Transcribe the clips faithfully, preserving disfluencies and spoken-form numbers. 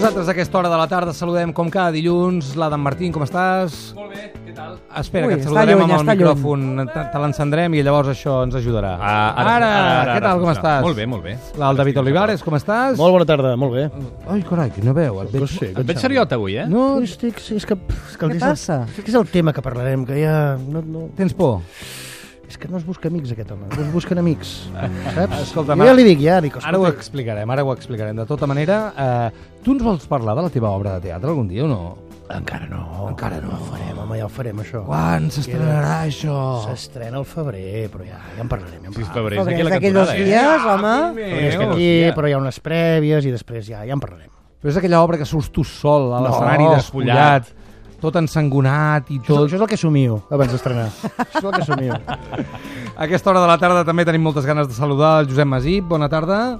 nosaltres a aquesta hora de la tarda saludem com cada dilluns l'Adam Martín, com estàs? Molt bé, què tal? Espera, Ui, que et està saludarem lluny, amb el està micròfon, te, te l'encendrem i llavors això ens ajudarà. Ah, ara, ara, ara, ara, què tal, com ara, estàs? Molt bé, molt bé. El David Olivares, com estàs? Molt bona tarda, molt bé. Ai, carai, quina veu. Et veig... Sí, Et veig seriot avui, eh? No, Estic, sí, és que, és que Què passa? És, és el tema que parlarem, que ja... No, no, tens por? és que no es busca amics, aquest home. No es busquen amics, saps? Escolta, jo ja li dic, ja, dic, Ara ho escolta, explicarem, ara ho explicarem. De tota manera, eh, tu ens vols parlar de la teva obra de teatre algun dia o no? encara no. Encara no. Ja ho farem, home, ja ho farem, això. Quan s'estrenarà això? S'estrena al febrer, però ja, ja en parlarem. Ja en Sí, és parlarem. febrer, és Febrer, aquí la d'aquí dos cantonada, eh? dies, home. Però és que Meu, aquí, hòstia. però hi ha unes prèvies i després ja, ja en parlarem. Però és aquella obra que surts tu sol a No, l'escenari despullat, tot ensangonat i Això, tot. això és el que somio abans d'estrenar. Això és el que somio. A aquesta hora de la tarda també tenim moltes ganes de saludar el Josep Masip. Bona tarda.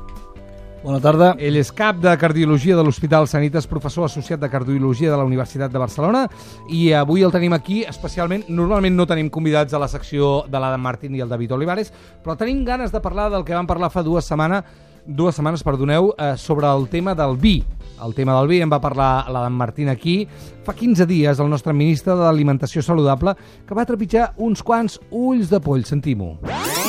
Bona tarda. Ell és cap de Cardiologia de l'Hospital Sanitas, professor associat de Cardiologia de la Universitat de Barcelona, i avui el tenim aquí especialment. Normalment no tenim convidats a la secció de l'Adam Martín i el David Olivares, però tenim ganes de parlar del que vam parlar fa dues setmanes, dues setmanes, perdoneu, eh, sobre el tema del vi. El tema del vi en va parlar l'Adam Martín aquí. Fa quinze dies el nostre ministre d'Alimentació Saludable que va trepitjar uns quants ulls de poll. Sentim-ho.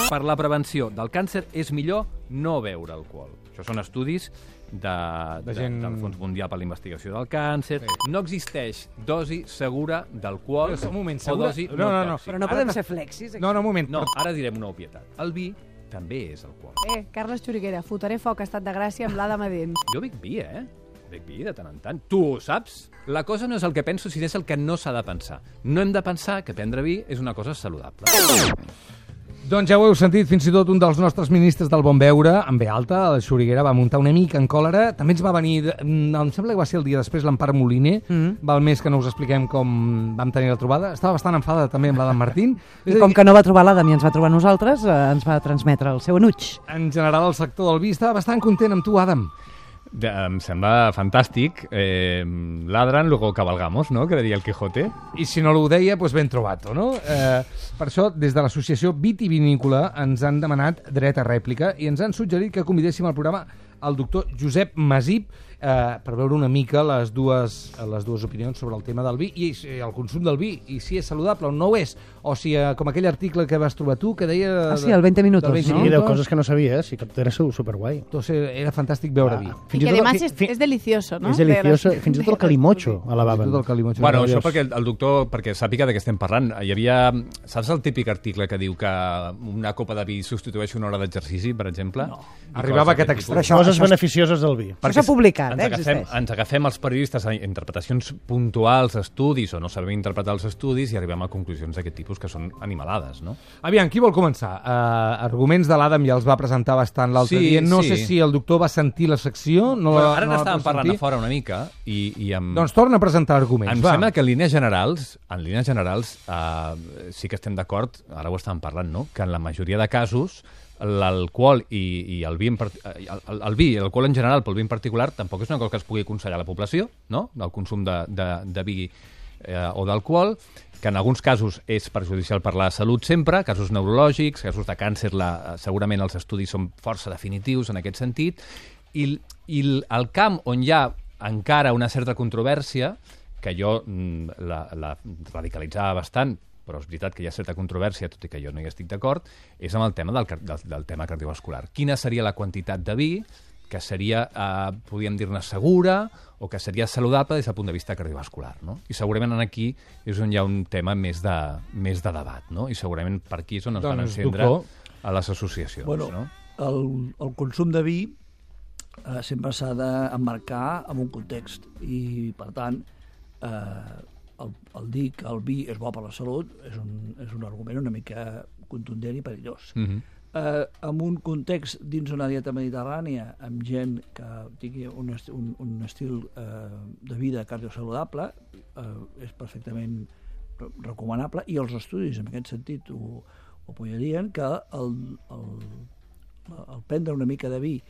Per la prevenció del càncer és millor no beure alcohol. Això són estudis de, De de, gent- del Fons Mundial per la Investigació del Càncer. Sí. No existeix dosi segura d'alcohol Però, un moment, o segura? dosi No, no, no. tòxica. Però no Ara podem t'has- ser flexis. No, no, un moment. No, ara direm una obvietat. El vi també és alcohol. Eh, Carles Xuriguera, fotré foc a Estat de Gràcia amb l'Adam Adent. Jo bec vi, eh? Bec vi de tant en tant. Tu ho saps? La cosa no és el que penso, sinó és el que no s'ha de pensar. No hem de pensar que prendre vi és una cosa saludable. Doncs ja ho heu sentit, fins i tot un dels nostres ministres del Bon Veure, en ve alta, el Xuriguera, va muntar una mica en còlera. També ens va venir, de- mm, em sembla que va ser el dia després, l'Empar Moliner, Mm. val més que no us expliquem com vam tenir la trobada. Estava bastant enfadada també amb l'Adam Martín. És I a com dir, que no va trobar l'Adam i ens va trobar nosaltres, eh, ens va transmetre el seu enuig. en general el sector del vi estava bastant content amb tu, Adam. De, em sembla fantàstic. Eh, ladran, luego cabalgamos, no?, que diria el Quijote. I si no ho deia, doncs ben trobat, no? Eh, per això, des de l'associació Vitivinícola ens han demanat dret a rèplica i ens han suggerit que convidéssim al programa el doctor Josep Masip eh, per veure una mica les dues, les dues opinions sobre el tema del vi i, i el consum del vi, i si és saludable o no ho és, o si, eh, com aquell article que vas trobar tu, que deia... Ah, sí, el veinte minutos, del no? Sí, de coses que no sabies, i que era superguai. Entonces, era fantàstic veure vi. Y que además es, es delicioso, ¿no? És delicioso, De las- fins i tot el calimocho alabaven. Tot el calimocho. Bueno, això Meravellós. perquè el, el doctor, perquè sàpiga de què estem parlant. Hi havia, saps el típic article que diu que una copa de vi substitueix una hora d'exercici, per exemple? No. Arribava aquest extrem. Això- Coses això- beneficioses del vi. Això s'ha publicat, ens eh, agafem, existeix. ens agafem els periodistes a interpretacions puntuals, estudis, o no sabem interpretar els estudis, i arribem a conclusions d'aquest tipus que són animalades, no? Aviam, qui vol començar? Uh, arguments de l'Adam ja els va presentar bastant l'altre Sí, dia. No sí. sé si el doctor va sentir la secció. No Bueno, la, ara no la n'estàvem pot parlant sentir. a fora una mica, i, i amb... Doncs torna a presentar arguments, Em va. sembla que en línies generals, en línies generals eh, sí que estem d'acord, ara ho estàvem parlant, no?, que en la majoria de casos l'alcohol i, i el vi, en part... el, el, el vi i l'alcohol en general, però el vi en particular, tampoc és una cosa que es pugui aconsellar a la població, no?, del consum de, de, de vi eh, o d'alcohol, que en alguns casos és perjudicial per la salut sempre, casos neurològics, casos de càncer, la, segurament els estudis són força definitius en aquest sentit, i, i el, el camp on hi ha encara una certa controvèrsia, que jo mm, la, la radicalitzava bastant, però és veritat que hi ha certa controvèrsia, tot i que jo no hi estic d'acord, és amb el tema del, car- del, del tema cardiovascular. Quina seria la quantitat de vi que seria, eh, podríem dir-ne, segura o que seria saludable des del punt de vista cardiovascular, no? I segurament aquí és on hi ha un tema més de, més de debat, no? I segurament per aquí és on es van Doncs, encendre doctor. a les associacions, Bueno, no? el, el consum de vi eh, sempre s'ha d'emmarcar en un context i, per tant, eh, el, el dir que el vi és bo per la salut és un, és un argument una mica contundent i perillós. Mm -hmm. eh, en un context dins una dieta mediterrània amb gent que tingui un, est un, un estil eh, de vida cardiosaludable eh, és perfectament recomanable, i els estudis en aquest sentit ho, ho apoyarien, que el, el, el prendre una mica de vi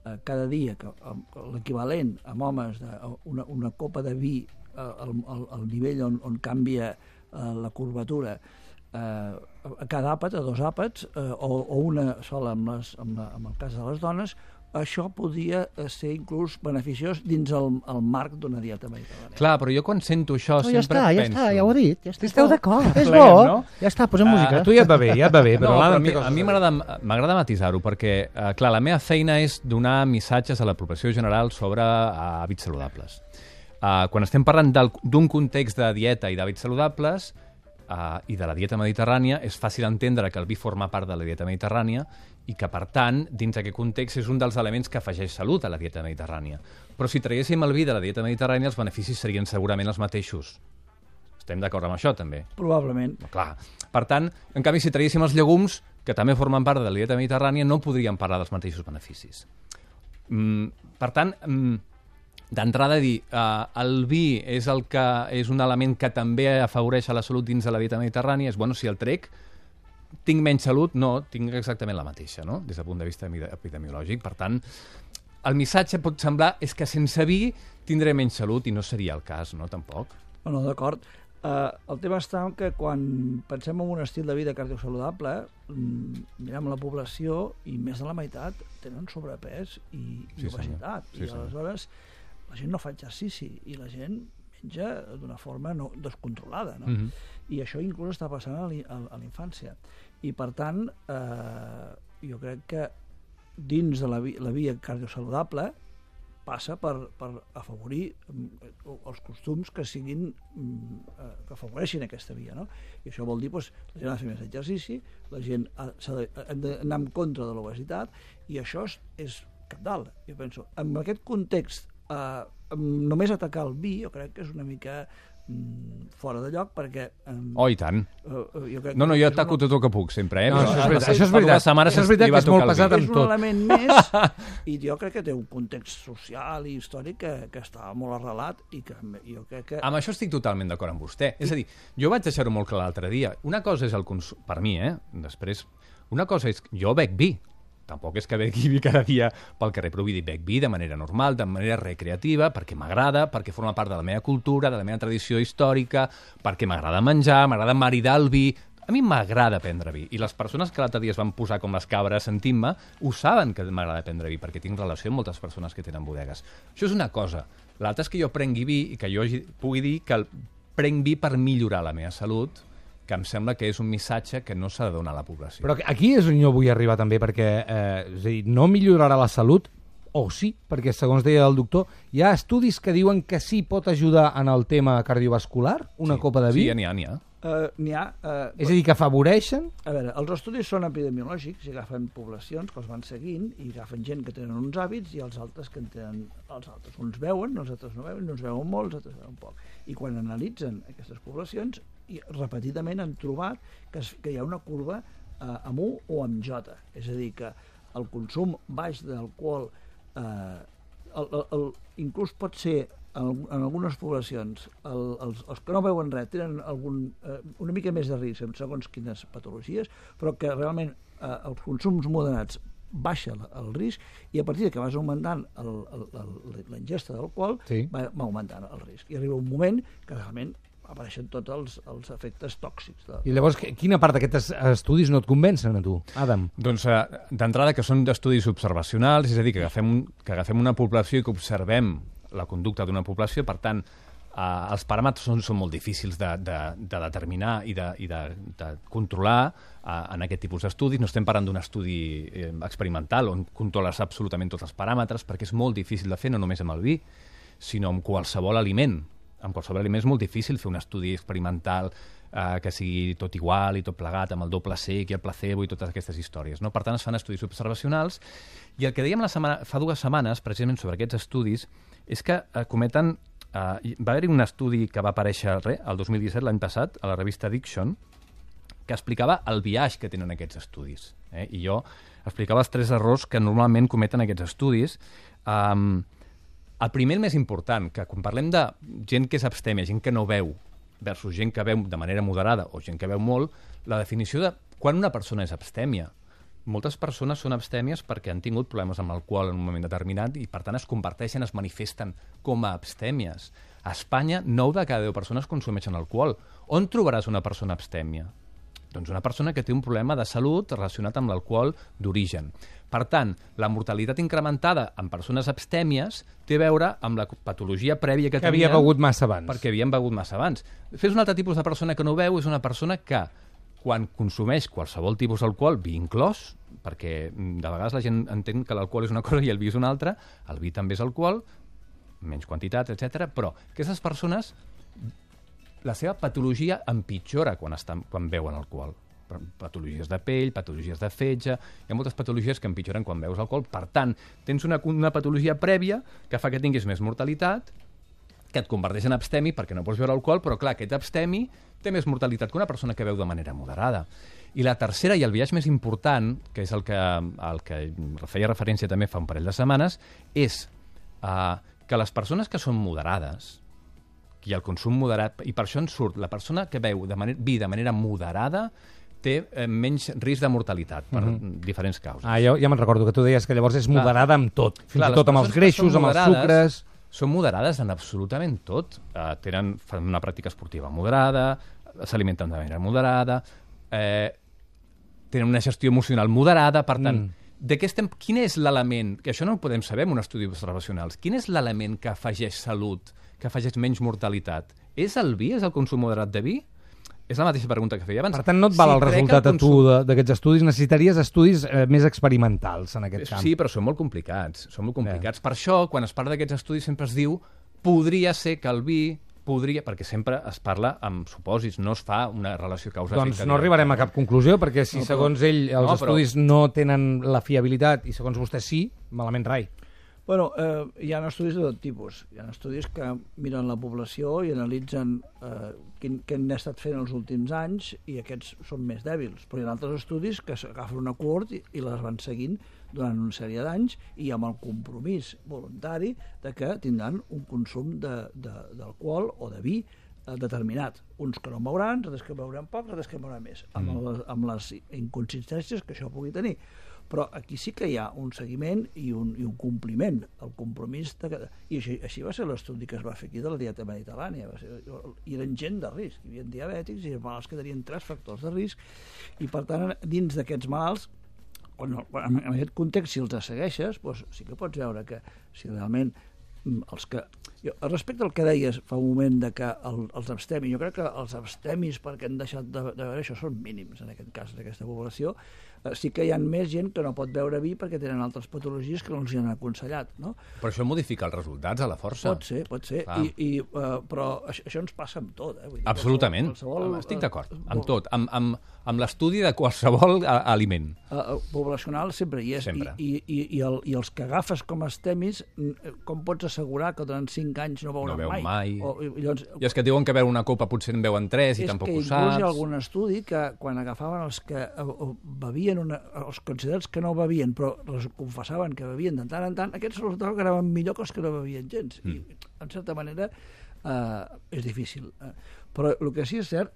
eh, cada dia, que l'equivalent amb homes de una, una copa de vi al, al, al nivell on, on canvia eh, la curvatura eh, a cada àpat, a dos àpats, eh, o, o una sola amb, les, amb, la, amb el cas de les dones, això podia ser inclús beneficiós dins el, el marc d'una dieta mediterrània. Clar, però jo quan sento això No, ja sempre està, ja penso... està, ja ho ha dit. Ja està. Esteu d'acord? És Pleguem, bo, no? ja està, posem música. A tu ja et va bé, ja et va bé, però no, però a l'Adam mi, té coses a mi dir. m'agrada m'agrada matisar-ho, perquè, eh, clar, la meva feina és donar missatges a la població general sobre eh, hàbits saludables. Eh, quan estem parlant del- d'un context de dieta i d'hàbits saludables eh, i de la dieta mediterrània, és fàcil entendre que el vi forma part de la dieta mediterrània i que, per tant, dins d'aquest context és un dels elements que afegeix salut a la dieta mediterrània. Però si traguéssim el vi de la dieta mediterrània, els beneficis serien segurament els mateixos. Estem d'acord amb això, també? Probablement. No, clar. Per tant, en canvi, si traguéssim els llegums, que també formen part de la dieta mediterrània, no podríem parlar dels mateixos beneficis. Mm, per tant, mm, d'entrada dir, eh, el vi és, el que, és un element que també afavoreix a la salut dins de la dieta mediterrània, és, bueno, si el trec, tinc menys salut? No, tinc exactament la mateixa, no?, des del punt de vista epidemiològic. Per tant, el missatge pot semblar és que sense vi tindré menys salut, i no seria el cas, no?, tampoc. Bueno, d'acord. Uh, el tema està en que quan pensem en un estil de vida cardiosaludable, mm, mirem la població i més de la meitat tenen sobrepès i, i Sí, obesitat. senyor. Sí, I senyor. aleshores la gent no fa exercici i la gent menja d'una forma no, descontrolada. No? Mhm. I això inclús està passant a l'in- a a la infància. I per tant, eh, jo crec que dins de la, vi la via cardiosaludable passa per, per afavorir mm, els costums que siguin mm, eh, que afavoreixin aquesta via, no? I això vol dir, doncs, la gent ha de fer més exercici, la gent ha, s'ha de, hem d'anar en contra de l'obesitat, i això és, és cabdal. Jo penso, en aquest context, eh, només atacar el vi, jo crec que és una mica mm, fora de lloc, perquè... Eh, Oh, i tant. eh, jo crec No, no, que jo és ataco una- tot el que puc, sempre, eh? No, Però això és fa- veritat, fa- això és fa dues veritat. setmanes Això és veritat li va que és molt tocar el pesat vi. amb és un tot. element més, i jo crec que té un context social i històric que, que està molt arrelat i que jo crec que... Amb això estic totalment d'acord amb vostè. És a dir, jo vaig deixar-ho molt clar l'altre dia. Una cosa és el consum... Per mi, eh? Després, una cosa és... Jo bec vi. Tampoc és que begui vi cada dia pel carrer, però vull dir, bec vi de manera normal, de manera recreativa, perquè m'agrada, perquè forma part de la meva cultura, de la meva tradició històrica, perquè m'agrada menjar, m'agrada maridar el vi... A mi m'agrada prendre vi, i les persones que l'altre dia es van posar com les cabres sentint-me ho saben que m'agrada prendre vi, perquè tinc relació amb moltes persones que tenen bodegues. Això és una cosa. L'altra és que jo prengui vi i que jo pugui dir que el prenc vi per millorar la meva salut, que em sembla que és un missatge que no s'ha de donar a la població. Però aquí és on jo vull arribar també, perquè eh, és a dir, no millorarà la salut, o sí, perquè segons deia el doctor, hi ha estudis que diuen que sí pot ajudar en el tema cardiovascular, una Sí. Ah, copa de vi. Sí, n'hi ha, n'hi ha. Uh, n'hi ha... Uh, És a dir, que afavoreixen... A veure, els estudis són epidemiològics i agafen poblacions que els van seguint i agafen gent que tenen uns hàbits i els altres que en tenen els altres. Uns veuen, els altres no veuen, uns veuen molt, els altres veuen poc. I quan analitzen aquestes poblacions, i repetidament han trobat que, es, que hi ha una curva eh, amb U o amb J. És a dir, que el consum baix d'alcohol eh, el, el, el, inclús pot ser en, en algunes poblacions el, els, els que no veuen res tenen algun, eh, una mica més de risc segons quines patologies, però que realment eh, els consums moderats baixa el, el risc, i a partir de que vas augmentant el, el, el, la ingesta d'alcohol Sí. va, va augmentant el risc, i arriba un moment que realment apareixen tots els, els efectes tòxics de, I llavors, quina part d'aquests estudis no et convencen a tu, Adam? Doncs eh, d'entrada que són d'estudis observacionals, és a dir, que agafem, un, que agafem una població i que observem la conducta d'una població, per tant, eh, els paràmetres són, són molt difícils de, de, de determinar i de, i de, de controlar eh, en aquest tipus d'estudis. No estem parlant d'un estudi eh, experimental on controles absolutament tots els paràmetres, perquè és molt difícil de fer, no només amb el vi, sinó amb qualsevol aliment. Amb qualsevol aliment és molt difícil fer un estudi experimental eh, que sigui tot igual i tot plegat, amb el doble sec i el placebo i totes aquestes històries, no? Per tant, es fan estudis observacionals, i el que dèiem la setmana, fa dues setmanes, precisament sobre aquests estudis, és que eh, cometen... Eh, va haver-hi un estudi que va aparèixer re, el dos mil disset, l'any passat, a la revista Addiction, que explicava el biaix que tenen aquests estudis. Eh? I jo explicava els tres errors que normalment cometen aquests estudis. Um, el primer, el més important, que quan parlem de gent que és abstèmia, gent que no veu, versus gent que veu de manera moderada o gent que veu molt, la definició de quan una persona és abstèmia. Moltes persones són abstèmies perquè han tingut problemes amb l'alcohol en un moment determinat i, per tant, es converteixen, es manifesten com a abstèmies. A Espanya, nou de cada deu persones consumeixen alcohol. On trobaràs una persona abstèmia? Doncs una persona que té un problema de salut relacionat amb l'alcohol d'origen. Per tant, la mortalitat incrementada en persones abstèmies té a veure amb la patologia prèvia que, que havia tenien, begut massa abans. perquè havien begut massa abans. Fes un altre tipus de persona que no ho veu, és una persona que, quan consumeix qualsevol tipus d'alcohol, vi inclòs, perquè de vegades la gent entén que l'alcohol és una cosa i el vi és una altra, el vi també és alcohol, menys quantitat, etcètera. Però aquestes persones, la seva patologia empitjora quan, estan, quan beuen alcohol. Patologies de pell, patologies de fetge, hi ha moltes patologies que empitjoren quan beus alcohol. Per tant, tens una, una patologia prèvia que fa que tinguis més mortalitat, que et converteix en abstemi perquè no pots beure alcohol, però clar, aquest abstemi té més mortalitat que una persona que beu de manera moderada. I la tercera, i el viatge més important, que és el que, el que feia referència també fa un parell de setmanes, és uh, que les persones que són moderades, i el consum moderat, i per això en surt, la persona que beu de manera, vi de manera moderada té eh, menys risc de mortalitat per uh-huh. diferents causes. Ah, ja, ja me'n recordo que tu deies que llavors és moderada amb tot, fins Clar, i tot amb els greixos, amb els sucres... Són moderades en absolutament tot. Uh, tenen, fan una pràctica esportiva moderada, s'alimenten de manera moderada, eh, tenen una gestió emocional moderada, per tant, mm. de què estem, quin és l'element, que això no ho podem saber en un estudi observacional, quin és l'element que afegeix salut, que afegeix menys mortalitat? És el vi? És el consum moderat de vi? És la mateixa pregunta que feia abans. Per tant, no et val si el resultat el consum... a tu d'aquests estudis, necessitaries estudis eh, més experimentals en aquest camp. Sí, però són molt complicats. Són molt complicats. Yeah. Per això, quan es parla d'aquests estudis, sempre es diu podria ser que el vi podria, perquè sempre es parla amb supòsits, no es fa una relació causa-efecte. Doncs no arribarem a cap conclusió, perquè si no, però... segons ell els no, estudis però... no tenen la fiabilitat i segons vostè sí, malament rai. Bueno, eh, hi ha estudis de tot tipus. Hi ha estudis que miren la població i analitzen eh, quin, què han estat fent els últims anys i aquests són més dèbils. Però hi ha altres estudis que agafen una cohort i, i les van seguint durant una sèrie d'anys i amb el compromís voluntari de que tindran un consum d'alcohol o de vi eh, determinat. Uns que no en beuran, altres que beuran poc, altres que en beuran més, amb, mm. el, amb les inconsistències que això pugui tenir. Però aquí sí que hi ha un seguiment i un, i un compliment, el compromís de que... I així, així va ser l'estudi que es va fer aquí de la dieta mediterrània. Va ser, hi eren gent de risc, hi havia diabètics i malalts que tenien tres factors de risc i per tant dins d'aquests malalts, quan, quan, en aquest context si els segueixes, doncs sí que pots veure que si realment els que... Jo, respecte al que deies fa un moment de que el, els abstemis, jo crec que els abstemis perquè han deixat de, de veure això són mínims en aquest cas, en aquesta població. Eh, sí que hi ha més gent que no pot beure vi perquè tenen altres patologies que no els hi han aconsellat, no? Però això modifica els resultats a la força. Pot ser, pot ser, I, i, uh, però això, això ens passa amb tot. Eh? Vull dir, absolutament, qualsevol, qualsevol, estic d'acord, amb tot, amb, amb, amb l'estudi de qualsevol aliment. Uh, poblacional sempre hi és, sempre. I, i, i, el, i els que agafes com a abstemis, com pots assegurar que durant cinc anys no veuran no mai? mai. O, i, llavors, I és que diuen que veure una copa potser en veuen tres i tampoc ho saps. És que inclús hi ha algun estudi que quan agafaven els que bevien, una, els considerats que no bevien, però els confessaven que bevien de tant en tant, aquests resultava que anaven millor que els que no bevien gens. Mm. I, en certa manera, eh, és difícil. Eh. Però el que sí és cert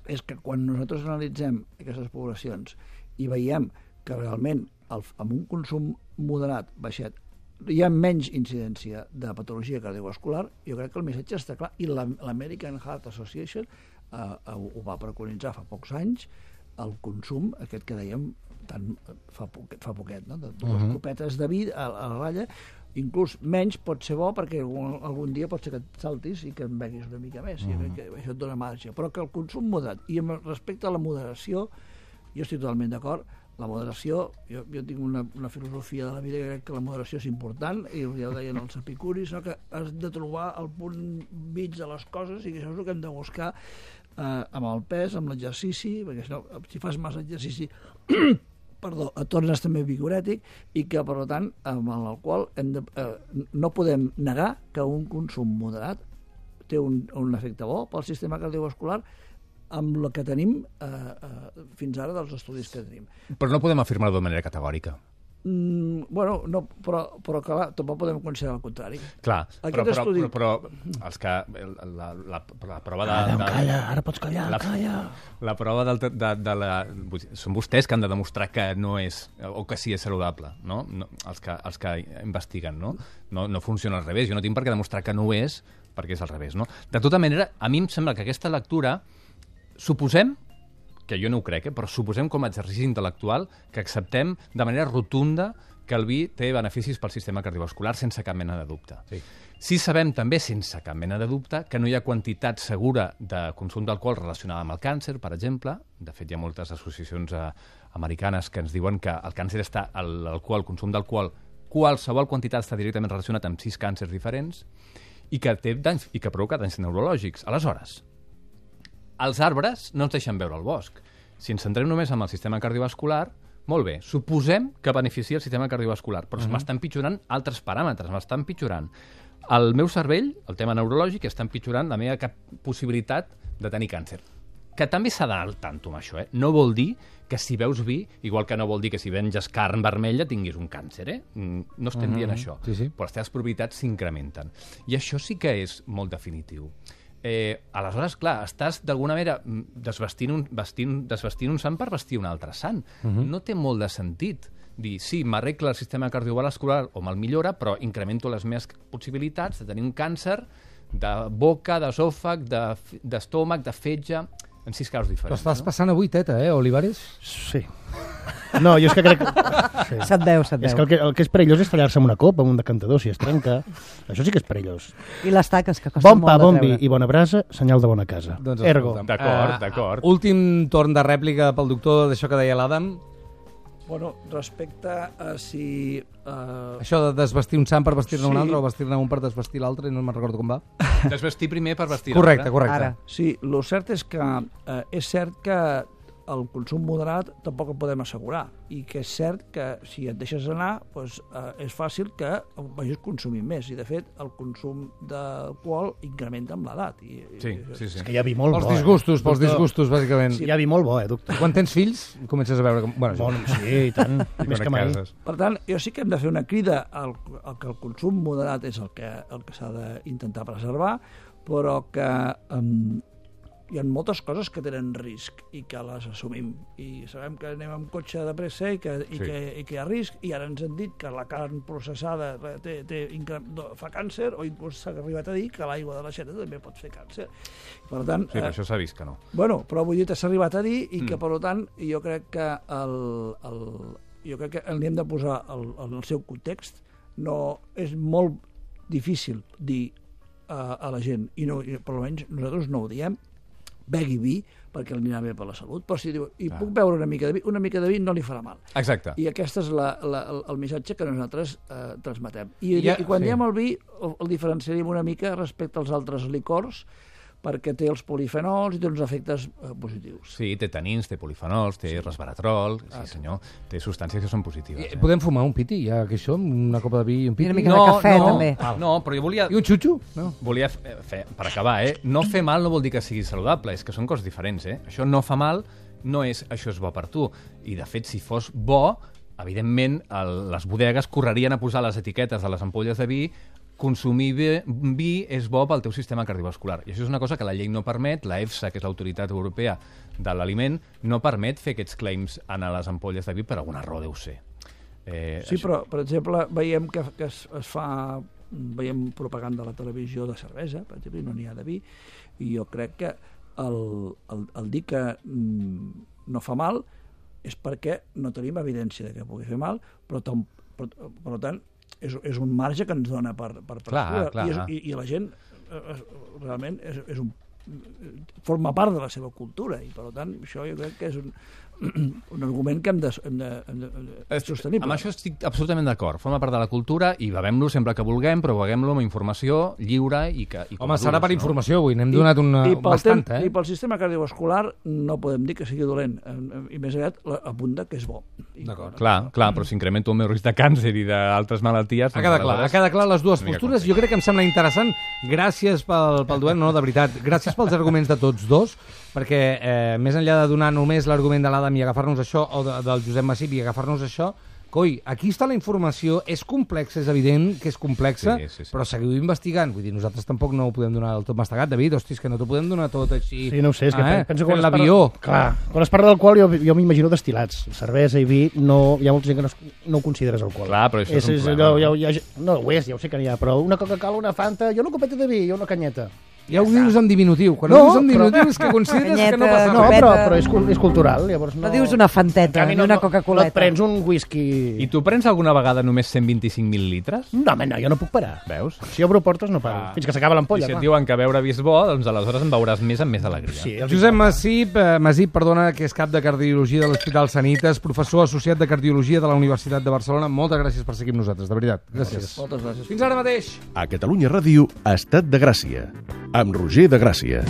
és que quan nosaltres analitzem aquestes poblacions i veiem que realment el, amb un consum moderat baixet hi ha menys incidència de patologia cardiovascular, jo crec que el missatge està clar, i l'American Heart Association eh, ho va preconitzar fa pocs anys, el consum, aquest que dèiem tant, fa, poquet, fa poquet, no? de dues uh-huh. copetes de vi a, a la ratlla, inclús menys pot ser bo perquè algun, algun dia pot ser que et saltis i que en beguis una mica més, uh-huh. i que això et dona marge, però que el consum moderat, i respecte a la moderació, jo estic totalment d'acord. La moderació, jo, jo tinc una, una filosofia de la vida que crec que la moderació és important, i ja ho deien els epicuris, no? Que has de trobar el punt mig de les coses i que això és el que hem de buscar eh, amb el pes, amb l'exercici, perquè si, no, si fas massa exercici perdó, et tornes també vigorètic i que, per tant, amb l'alcohol hem de, eh, no podem negar que un consum moderat té un, un efecte bo pel sistema cardiovascular amb el que tenim eh, eh, fins ara dels estudis que tenim. Però no podem afirmar-ho de manera categòrica. Mm, bueno, no, però, però clar, tampoc podem considerar el contrari. Clar, però, però, estudi... però, però els que... La, la, la prova de... Calla, de, calla, ara pots callar, la, calla. La prova de, de, de la... Són vostès que han de demostrar que no és, o que sí és saludable, no? no els, que, els que investiguen, no? No, no funciona al revés. Jo no tinc per què demostrar que no ho és, perquè és al revés, no? De tota manera, a mi em sembla que aquesta lectura suposem que jo no ho crec, eh, però suposem com a exercici intel·lectual que acceptem de manera rotunda que el vi té beneficis pel sistema cardiovascular sense cap mena de dubte. Sí. Sí sabem també, sense cap mena de dubte, que no hi ha quantitat segura de consum d'alcohol relacionada amb el càncer, per exemple. De fet, hi ha moltes associacions eh, americanes que ens diuen que el càncer està, l'alcohol, el consum d'alcohol, qualsevol quantitat està directament relacionat amb sis càncers diferents i que té danys i que provoca danys neurològics. Aleshores, els arbres no ens deixen veure el bosc. Si ens centrem només en el sistema cardiovascular, molt bé, suposem que beneficia el sistema cardiovascular, però uh-huh. m'estan pitjorant altres paràmetres, m'estan pitjorant el meu cervell, el tema neurològic, està empitjorant la meva cap possibilitat de tenir càncer. Que també s'ha d'anar al tanto amb això, eh? No vol dir que si veus vi, igual que no vol dir que si venges carn vermella tinguis un càncer, eh? No estem uh-huh. dient això, sí, sí. però les teves probabilitats s'incrementen. I això sí que és molt definitiu. Eh, aleshores, clar, estàs d'alguna manera desvestint un, vestint, desvestint un sant per vestir un altre sant. Uh-huh. No té molt de sentit dir, sí, m'arregla el sistema cardiovascular o me'l millora, però incremento les meves possibilitats de tenir un càncer de boca, d'esòfag, d'estómac, de fetge, en sis casos diferents. Però estàs no? passant avui teta, eh, Olivares? Sí. No, jo és que crec... Sí. Se't veu, se't veu. És que el, que el que és perillós és tallar-se amb una copa, amb un decantador, si es trenca. Això sí que és perillós. I les taques, que costen bon molt pa, de bon treure. vi i bona brasa, senyal de bona casa. Doncs Ergo. D'acord, uh, d'acord. Últim torn de rèplica pel doctor d'això que deia l'Adam. Bueno, respecte a si... Uh... Això de desvestir un sant per vestir-ne Sí. un altre o vestir-ne un per desvestir l'altre, no me'n recordo com va. Desvestir primer per vestir Correcte, l'altre. correcte. Ara. Sí, el cert és que eh, és cert que el consum moderat tampoc el podem assegurar i que és cert que si et deixes anar doncs, eh, és fàcil que vagis consumint més i de fet el consum d'alcohol incrementa amb l'edat. I, Sí, i, sí, sí. És que hi ha vi molt Pels bo. disgustos, eh? pels Doctor, disgustos, bàsicament. Hi ha vi molt bo, eh, doctor? Quan tens fills, comences a veure... Com... Bueno, Bon, sí, i tant. I Més quan que et mai. cases. Per tant, jo sí que hem de fer una crida al, al que el consum moderat és el que, el que s'ha d'intentar preservar, però que um, hi ha moltes coses que tenen risc i que les assumim. I sabem que anem amb cotxe de pressa i que, i Sí. que, i que hi ha risc, i ara ens han dit que la carn processada té, té, incre- fa càncer, o inclús s'ha arribat a dir que l'aigua de l'aixeta també pot fer càncer. Per tant, Sí, però això s'ha vist que no. Bueno, però vull dir, s'ha arribat a dir i que, Mm. per tant, jo crec que el, el, jo crec que li hem de posar el, el, el seu context. No, és molt difícil dir uh, a la gent, i, no, i per almenys nosaltres no ho diem, begui vi perquè li anirà bé per la salut, però si diu, i Clar. puc beure una mica de vi, una mica de vi no li farà mal. Exacte. I aquest és la, la, el, el missatge que nosaltres eh, transmetem. I, Ja, i quan sí. diem el vi, el, el diferenciaríem una mica respecte als altres licors, perquè té els polifenols i té uns efectes eh, positius. Sí, té tanins, té polifenols, té resveratrol, sí senyor, té substàncies que són positives. Eh, Eh? Podem fumar un piti, ja que això, una copa de vi i un I piti? una mica de cafè, no, també. No, però jo volia... I un xutxo? No. Volia fer, fer, per acabar, eh? No fer mal no vol dir que sigui saludable, és que són coses diferents, eh? Això no fa mal, no és això és bo per tu. I, de fet, si fos bo, evidentment, el, les bodegues correrien a posar les etiquetes de les ampolles de vi. Consumir vi, vi és bo pel teu sistema cardiovascular. I això és una cosa que la llei no permet, la EFSA, que és l'autoritat europea de l'aliment, no permet fer aquests claims en les ampolles de vi, per alguna raó deu ser. Eh, Sí, això- però, per exemple, veiem que, que es, es fa... Veiem propaganda a la televisió de cervesa, per exemple, i no n'hi ha de vi, i jo crec que el, el, el dir que mm, no fa mal és perquè no tenim evidència de que pugui fer mal, però, tam, però per tant, és, és un marge que ens dona per, per, per Clar, escriure. clar. I, és, i, i la gent eh, és, realment és, és un, forma part de la seva cultura i per tant això jo crec que és un, un argument que hem de, hem de, hem de, hem de sostenible. Amb això estic absolutament d'acord. Forma part de la cultura i bevem-lo sempre que vulguem, però beguem-lo amb informació lliure i que... I com Home, adults, serà per no? informació avui, n'hem donat una I pel, bastanta, tem- eh? I pel sistema cardiovascular no podem dir que sigui dolent, eh, i més aviat la- apunta que és bo. I, D'acord. Clar, clar, però si incremento el meu risc de càncer i d'altres malalties... Ha quedat clar, ha quedat clar les dues una mica postures. Jo crec que em sembla interessant. Gràcies pel, pel duet, no, de veritat. Gràcies pels arguments de tots dos, perquè eh, més enllà de donar només l'argument de l'Adam i agafar-nos això, o de, del Josep Massip i agafar-nos això, coi, aquí està la informació, és complexa, és evident que és complexa, Sí, sí, sí. però seguiu investigant. Vull dir, nosaltres tampoc no ho podem donar del tot mastegat, David, hòsties, que no t'ho podem donar tot així. Sí, no ho sé, és que eh? penso que Fent quan es l'avió. parla- Clar, quan es parla d'alcohol jo, jo m'imagino destil·lats. Cervesa i vi, no, hi ha molta gent que no, es- no ho consideres alcohol. Clar, però això és un problema, allò, no? ja, ja, no ho és, ja ho sé que n'hi ha, però una Coca-Cola, una Fanta, jo una copeta de vi, jo una canyeta. Ja ho dius en diminutiu. Quan No, ho dius en però- diminutiu és que consideres que no Canyeta, passa No, res. però, Copeta. però és, cul- és cultural, llavors no... No dius una fanteta, En canvi, ni una Coca-Coleta. No et prens un whisky... I tu prens alguna vegada només cent vint-i-cinc mil·lilitres? No, home, no, jo no puc parar. Veus? Si obro portes no paro, Ah. fins que s'acaba I l'ampolla, si et clar. diuen que beure vi és bo, doncs aleshores en veuràs més amb més alegria. Sí, els Josep Masip, eh, Masip, perdona, que és cap de Cardiologia de l'Hospital Sanitas, professor associat de Cardiologia de la Universitat de Barcelona. Moltes gràcies per seguir amb nosaltres, de veritat. Gràcies. Moltes gràcies. Fins ara mateix. A Catalunya Ràdio, Estat de Gràcia, amb Roger de Gràcia.